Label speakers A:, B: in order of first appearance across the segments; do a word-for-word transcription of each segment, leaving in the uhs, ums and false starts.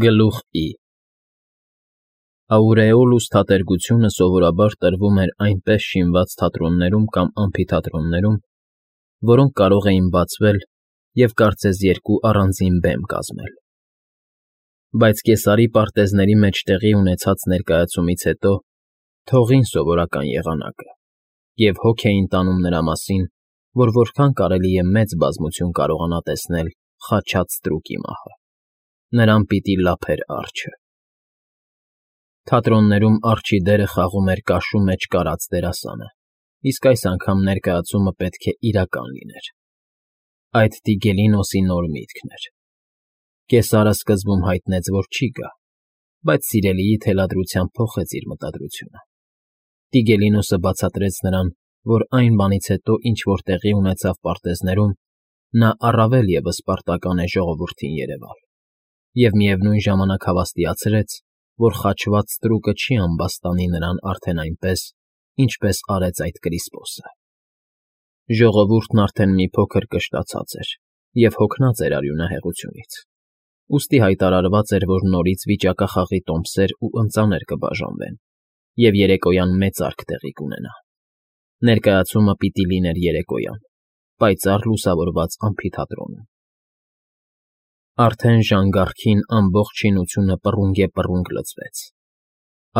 A: Գլուխ I Աուրեոլուս թատերգությունը սովորաբար տրվում էր այնպես շինված թատրոններում կամ ամֆիթատրոններում, որոնք կարող էին բացվել և կարծես երկու առանձին բեմ կազմել. Բայց կեսարի պարտեզների մեջ տեղի ունեցած ներկայացումից հետո թողին սովորական եղանակը և հոգ էին տանում նրա մասին, որ որքան կարելի է մեծ բազմություն կարողանա տեսնել խաչած ստրուկի մահը, նրան պիտի լափեր արջը։ Թատրոններում արջի դերը խաղում էր կաշու մեջ կարած դերասանը, իսկ այս անգամ ներկայացումը պետք է իրական լիներ։ Այդ Տիգելինոսի նոր միտքն էր։ Կեսարը սկզբում հայտնեց, որ չի գա, բայց սիրելիի թելադրությամբ փոխեց իր մտադրությունը։ Տիգելինոսը բացատրեց նրան, որ այն բանից հետո, ինչ որ տեղի ունեցավ պարտեզներում, նա առավել ևս պարտական է ժողովրդին երևալ, և միևնույն ժամանակ հավաստիացրեց, որ խաչված ստրուկը չի ամբաստանի նրան արդեն այնպես, ինչպես արեց այդ Կրիսպոսը։ Ժողովուրդն արդեն մի փոքր կշտացած էր և հոգնած էր արյունահեղությունից, ուստի հայտարարված էր, որ նորից վիճակախաղի տոմսեր ու ընծաներ կբաժանվեն, և երեկոյան մեծարք տեղի կունենա։ Ներկայացումը պիտի լիներ երեկոյան, պայծառ լուսավորված ամֆիթատրոնում։ Արդեն ժանգառքին ամբողջ շինությունը պռունգեպռունգ լցվեց։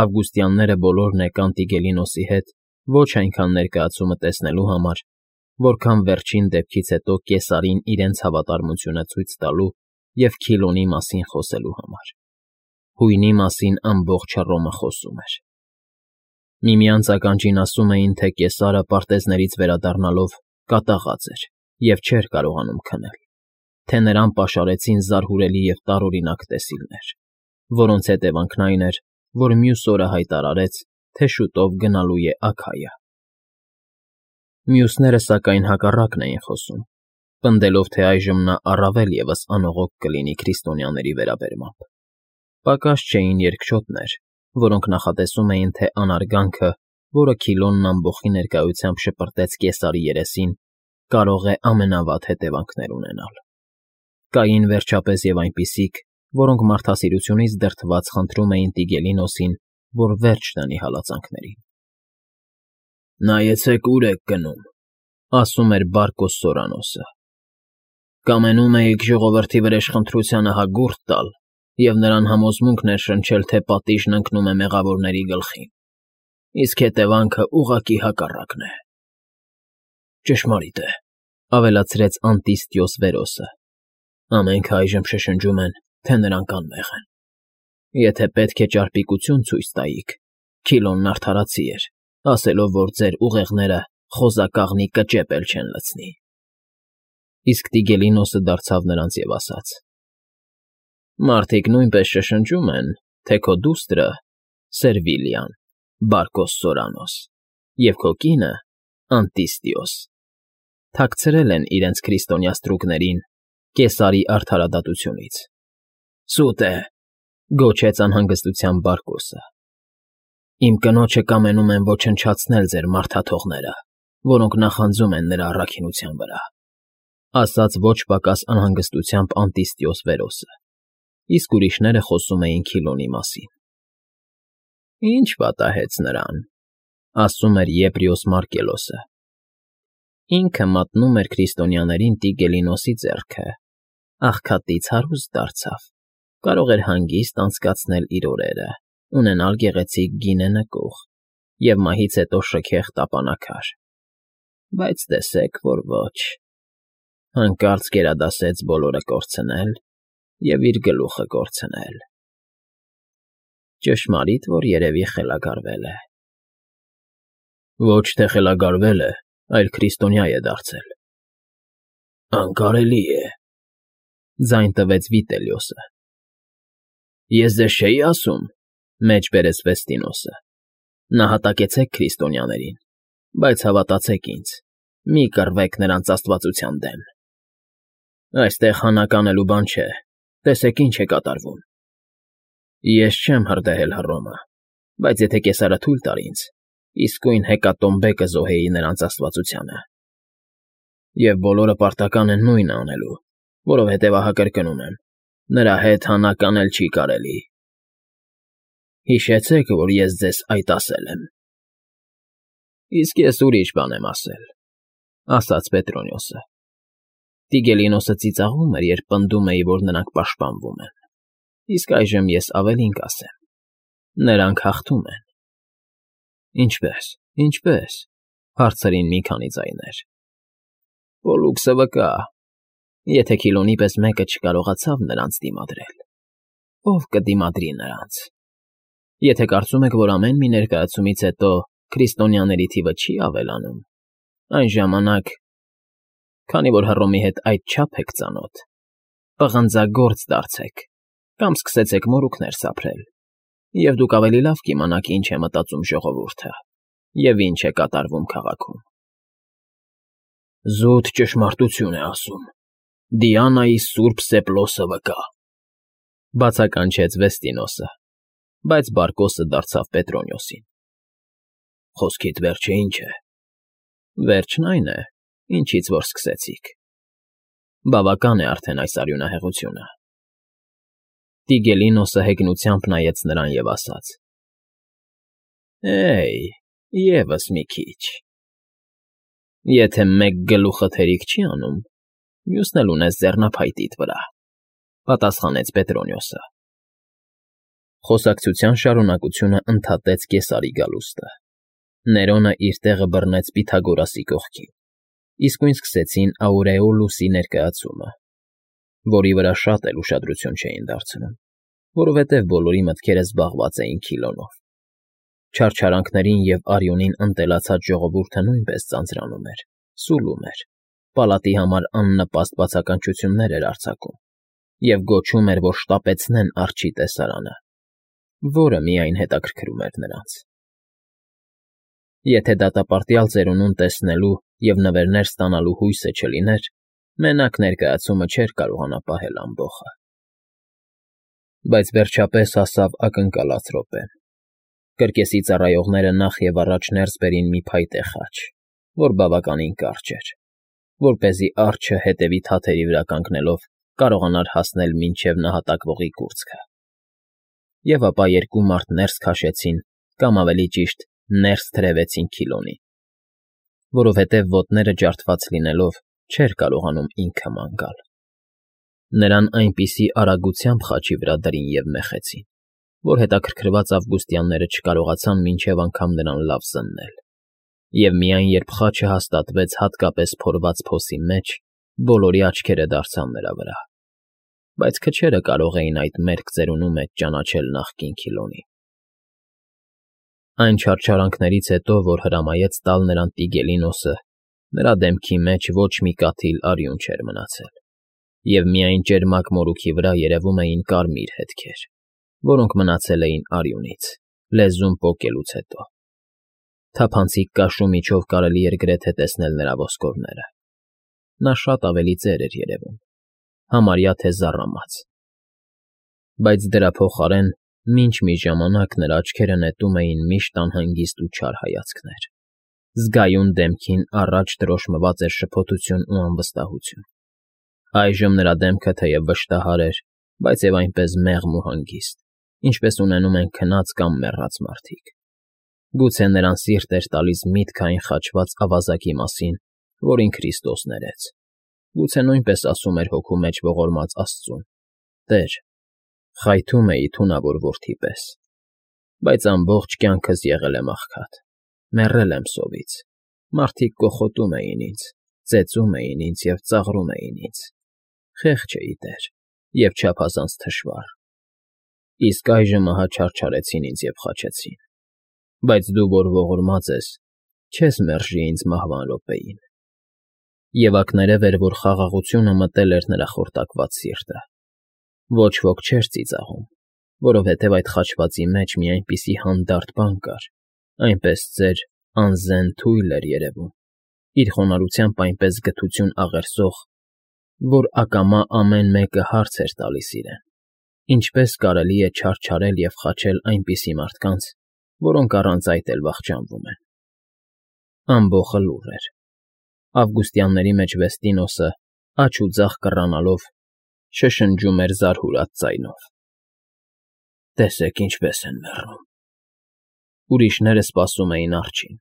A: Ավգուստյանները բոլորն եկան Տիգելինոսի հետ ոչ այնքան ներկայացումը տեսնելու համար, որքան վերջին դեպքից հետո կեսարին իրենց հավատարմությունը ցույց տալու և Քիլոնի մասին խոսելու համար։ Հույնի մասին ամբողջ Հռոմը խոսում էր։ Միմյանց ականջին ասում էին, թե Կեսարը պարտեզներից վերադառնալով կատաղած էր և չէր կարողանում քնել, թե նրան պաշարեցին զարհուրելի և տարօրինակ տեսիլներ, որոնց հետևանքն այն էր, որ մյուս օրը հայտարարեց, թե շուտով գնալու է Աքայա։ Մյուսները, սակայն, հակառակն էին խոսում, պնդելով, թե այժմ նա առավել ևս անողոք կլինի քրիստոնյաների վերաբերմամբ։ Պակաս չէին երկչոտներ, որոնք նախատեսում էին, թե անարգանքը, որը Քիլոնն ամբոխի ներկայությամբ շպրտեց Կեսարի երեսին, կարող է ամենավատ հետևանքներ ունենալ։ Կային վերջապես և այնպիսիք, որոնք մարդասիրությունից դրդված խնդրում էին Տիգելինոսին, որ վերջ դնի հալածանքներին։ «Նայեցեք ուր եք գնում,֊ ասում էր Բարկոս Սորանոսը։ Կամենում էիք ժողովրդի վրեժխնդրությանը հագուրդ տալ և նրան համոզմունք ներշնչել, թե պատիժն ընկնում է մեղավորների գլխին, իսկ հետևանքը ուղղակի հակառակն է»։ «Ճշմարիտ է,֊ ավելացրեց Անտիստիոս Վերոսը։ «Ամենքը այժմ շշնջում են, թե նրանք անմեղ են։ Եթե պետք է ճարպիկություն ցույց տայիք, Քիլոնն արդարացի էր, ասելով, որ ձեր ուղեղները խոզակաղնի կճեպ էլ չեն լցնի»։ Իսկ Տիգելինոսը դարձավ նրանց և ասաց. «Մարդիկ նույնպես շշնջում են, թե քո դուստրը՝ Սերվիլիան, Բարկոս Սորանոս, և քո կինը՝ Անտիստիոս, թաքցրել են իրենց քրիստոնյա ստրուկներին Կեսարի արդարադատությունից»։ «Սուտ է,֊ գոչեց անհանգստությամբ Բարկոսը։ Իմ կնոջը կամենում են ոչնչացնել ձեր մարդաթողները, որոնք նախանձում են նրա առաքինության վրա», ասաց ոչ պակաս անհանգստությամբ Անտիստիոս Վերոսը, իսկ ուրիշները խոսում էին Քիլոնի մասին։ «Ի՞նչ պատահեց նրան,֊ ասում էր Եպրիոս Մարկելոսը։ «Ինքը մատնում էր քրիստոնյաներին Տիգելինոսի ձեռքը, աղքատից հարուստ դարձավ, կարող էր հանգիստ անցկացնել իր օրերը, ունենալ գեղեցիկ գինե նկուղ և մահից հետո շքեղ տապանաքար, բայց տեսեք, որ ոչ. հանկարծ գերադասեց բոլորը կորցնել և իր գլուխը կորցնել։ Ճշմարիտ, որ երևի խելագարվել է»։ «Ոչ թե խելագարվել է, այլ քրիստոնյա է դարձել»։ «Անկարելի է,֊ ձայն տվեց Վիտելիոսը։ «Ես ձեզ չէի ասում,֊ մեջ բերեց Վեստինոսը,֊ նահատակեցեք քրիստոնյաներին, բայց հավատացեք ինձ, մի կռվեք նրանց աստվածության դեմ։ Այստեղ հանակ անելու բան չէ, տեսեք ինչ է կատարվում։ Ես չեմ հրդեհել Հռոմը, բայց եթե Կեսարը թույլ տար ինձ, իսկույն հեկատոմբե կզոհեի նրանց աստվածությանը։ Եվ բոլորը պարտական են նույնը անելու, որովհետև ահա կրկնում եմ, Նրա հետ հանականել չի կարելի։ Հիշեցեք, որ ես ձեզ այդ ասել եմ։ Իսկ ես ուրիշ բան եմ ասել, ասաց Պետրոնիոսը։ Տիգելինոսը ծիծաղում էր, երբ պնդում էի, որ նրանք պաշտպանվում են։ Իսկ այժմ ես ավելին կասեմ. նրանք հաղթում են։ Ինչպե՞ս, ինչպե՞ս, հարցրին մի քանի ձայներ։ Պոլուքսը վկա, եթե Քիլոնի պես մեկը չկարողացավ նրանց դիմադրել, ով կդիմադրի նրանց։ Եթե կարծում եք, որ ամեն մի ներկայացումից հետո քրիստոնյաների թիվը չի ավելանում, այն ժամանակ, քանի որ Հռոմի հետ այդչափ եք ծանոթ, պղնձագործ դարձեք կամ սկսեցեք մորուքներ սափրել, և դուք ավելի լավ կիմանաք ինչ է մտածում ժողովուրդը և ինչ է կատարվում քաղաքում։ Զուտ ճշմարտություն է ասում, Դիանայի սուրբ սեպլոսը վկա, բացականչեց Վեստինոսը, բայց Բարկոսը դարձավ Պետրոնիոսին։ Խոսքիդ վերջը ինչ է։ Վերջն այն է, ինչից որ սկսեցիք։ Բավական է արդեն այս արյունահեղությունը։ Տիգելինոսը հեգնությամբ նայեց նրան և ասաց. Էյ, ևս մի քիչ։ Եթե մեկ գլուխդ հերիք չի անում, մյուսն էլ ունես ձեռնափայտիդ վրա, պատասխանեց Պետրոնիոսը։ Խոսակցության շարունակությունը ընդհատեց Կեսարի գալուստը։ Ներոնը իր տեղը բռնեց Պյութագորասի կողքին, իսկույն սկսեցին Աուրեոլուսի ներկայացումը, որի վրա շատ էլ ուշադրություն չէին դարձնում, որովհետև բոլորի մտքերը զբաղված էին Քիլոնով։ Չարչարանքներին և արյունին ընտելացած ժողովուրդը նույնպես ձանձրանում էր, սուլում էր, պալատի համար աննպաստ բացականչություններ էր արձակում և գոչում էր, որ շտապեցնեն արջի տեսարանը, որը միայն հետաքրքրում էր նրանց։ Եթե դատապարտյալ ծերունուն տեսնելու և նվերներ ստանալու հույսը չլիներ, մենակ ներկայացումը չէր կարողանա պահել ամբոխը։ Բայց վերջապես հասավ ակնկալած րոպեն։ Կրկեսի ծառայողները նախ և առաջ ներս բերին մի փայտե խաչ, որ բավականին կարճ էր, որպեսզի արջը հետևի թաթերի վրա կանգնելով կարողանար հասնել մինչև նահատակվողի կուրծքը։ Եվ ապա երկու մարդ ներս քաշեցին, կամ ավելի ճիշտ, ներս թրևեցին Քիլոնին, որովհետև ոտները ջարդված լինելով չէր կարողանում ինքը ման գալ։ Նրան այնպիսի արագությամբ խաչի վրա դրին և մեխեցին, որ հետաքրքրված ավգուստյանները չկարողացան մինչև անգամ նրան լավ զննել, և միայն երբ խաչը հաստատվեց հատկապես փորված փոսի մեջ, բոլորի աչքերը դարձան նրա վրա, բայց քչերը կարող էին այդ մերկ ծերունու մեջ ճանաչել նախկին Քիլոնին։ Այն չարչարանքներից հետո, որ հրամայեց տալ նրան Տիգելինոսը, նրա դեմքի մեջ ոչ մի կաթիլ արյուն չէր մնացել, և միայն ճերմակ մորուքի վրա երևում էին կարմիր հետքեր, որոնք մնացել էին արյունից, լեզուն պոկելուց հետո։ Թափանցիկ կաշու միջով կարելի էր գրեթե տեսնել նրա ոսկորները։ Նա շատ ավելի ծեր էր երևում, համարյա թե զառամած։ Բայց դրա փոխարեն մինչ մի ժամանակ նրա աչքերը նետում էին միշտ անհանգիստ ու չար հայացքներ, զգայուն դեմքին առաջ դրոշմված էր շփոթություն ու անվստահություն։ Այժմ նրա դեմքը թեև վշտահար էր, բայց և այնպես մեղմ ու հանգիստ, ինչպես ունենում են քնած կամ մեռած մարդիկ։ Գուցե նրան սիրտ էր տալիս միտքը այն խաչված ավազակի մասին, որին Քրիստոս ներեց։ Գուցե նույնպես ասում էր հոգու մեջ ողորմած Աստծուն. «Տեր, խայթում էի թունավոր որդի պես, բայց ամբողջ կյանքս եղել եմ աղքատ, մեռել եմ սովից, մարդիկ կոխոտում էին ինձ, ծեծում էին ինձ և ծաղրում էին ինձ, խեղճ էի, Տեր, և չափազանց թշվառ։ Իսկ այժմ ահա չարչարեցին ինձ և խաչեցին, բայց դու, որ ողորմած ես, չես մերժի ինձ մահվան րոպեին»։ Եվ ակներև էր, որ խաղաղությունը մտել էր նրա խորտակված սիրտը։ Ոչ ոք չէր ծիծաղում, որովհետև այդ խաչվածի մեջ մի այնպիսի հանդարտ բան կար, այնպես ծեր, անզեն թույլ էր երևում, իր խոնարհությամբ այնպես գթություն աղերսող, որ ակամա ամեն մեկը հարց էր տալիս իրեն. ինչպե՞ս կարելի է չարչարել և խաչել այնպիսի մարդկանց, որոնք առանց այդ էլ վախճանվում են։ Ամբոխը լուռ էր։ Ավգուստյանների մեջ Վեստինոսը, աջ ու ձախ կռանալով, շշնջում էր զարհուրած ձայնով։ Տեսեք ինչպես են մեռնում։ Ուրիշները սպասում էին արջին,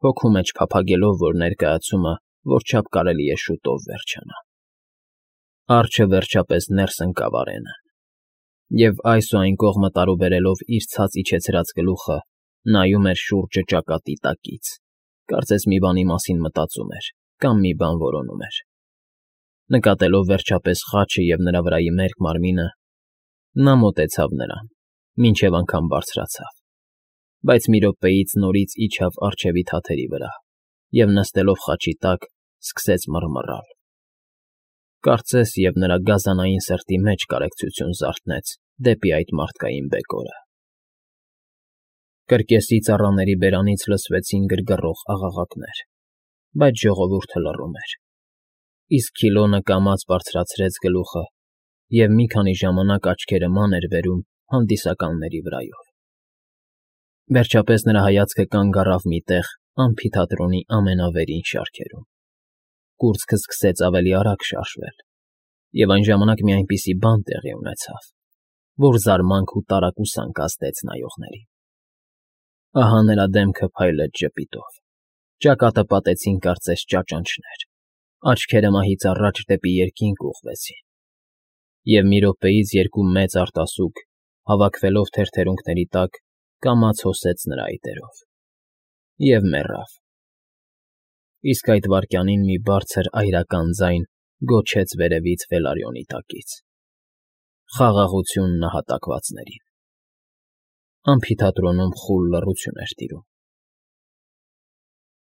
A: հոգու մեջ փափագելով, որ ներկայացումը որչափ կարելի է շուտով վերջանա։ Արջը վերջապես ներս ընկավ արենը, և այս ու այն կողմը տարուբերելով իր ցած իջեցրած գլուխը, նայում էր շուրջը ճակատի տակից, կարծես մի բանի մասին մտածում էր կամ մի բան որոնում էր։ Նկատելով վերջապես խաչը և նրա վրայի մերկ մարմինը, նա մոտեցավ նրան, մինչև անգամ բարձրացավ, բայց մի րոպեից նորից իջավ առջևի թաթերի վրա և, նստելով խաչի տակ, սկսեց մռմռալ։ Կարծես և նրա գազանային սրտի մեջ կարեկցություն զարթնեց դեպի այդ մարդկային բեկորը։ Կրկեսի ծառաների բերանից լսվեցին գրգռող աղաղակներ, բայց ժողովուրդը լռում էր, իսկ Քիլոնը կամաց բարձրացրեց գլուխը և մի քանի ժամանակ աչքերը ման էր բերում հանդիսականների վրայով։ Վերջապես նրա հայացքը կանգ առավ մի տեղ ամֆիթատրոնի ամենավերին շարքերում։ Կուրծքը սկսեց ավելի արագ շարժվել, և այն ժամանակ մի այնպիսի բան տեղի ունեցավ, որ զարմանք ու տարակուսանք ազդեց նայողներին։ Ահա նրա դեմքը փայլեց ժպիտով, ճակատը պատեցին կարծես ճաճանճներ, աչքերը մահից առաջ դեպի երկինք ուղղվեցին, և մի րոպեից երկու մեծ արտասուք, հավաքվելով թերթերունքների տակ, կամաց հոսեց նրա այտերով և մեռավ։ Իսկ այդ վայրկյանին մի բարձր այրական ձայն գոչեց վերևից Վելարյոնի տակից. «Խաղաղություն նահատակվածներին»։ Ամֆիթատրոնում խուլ լռություն էր տիրում։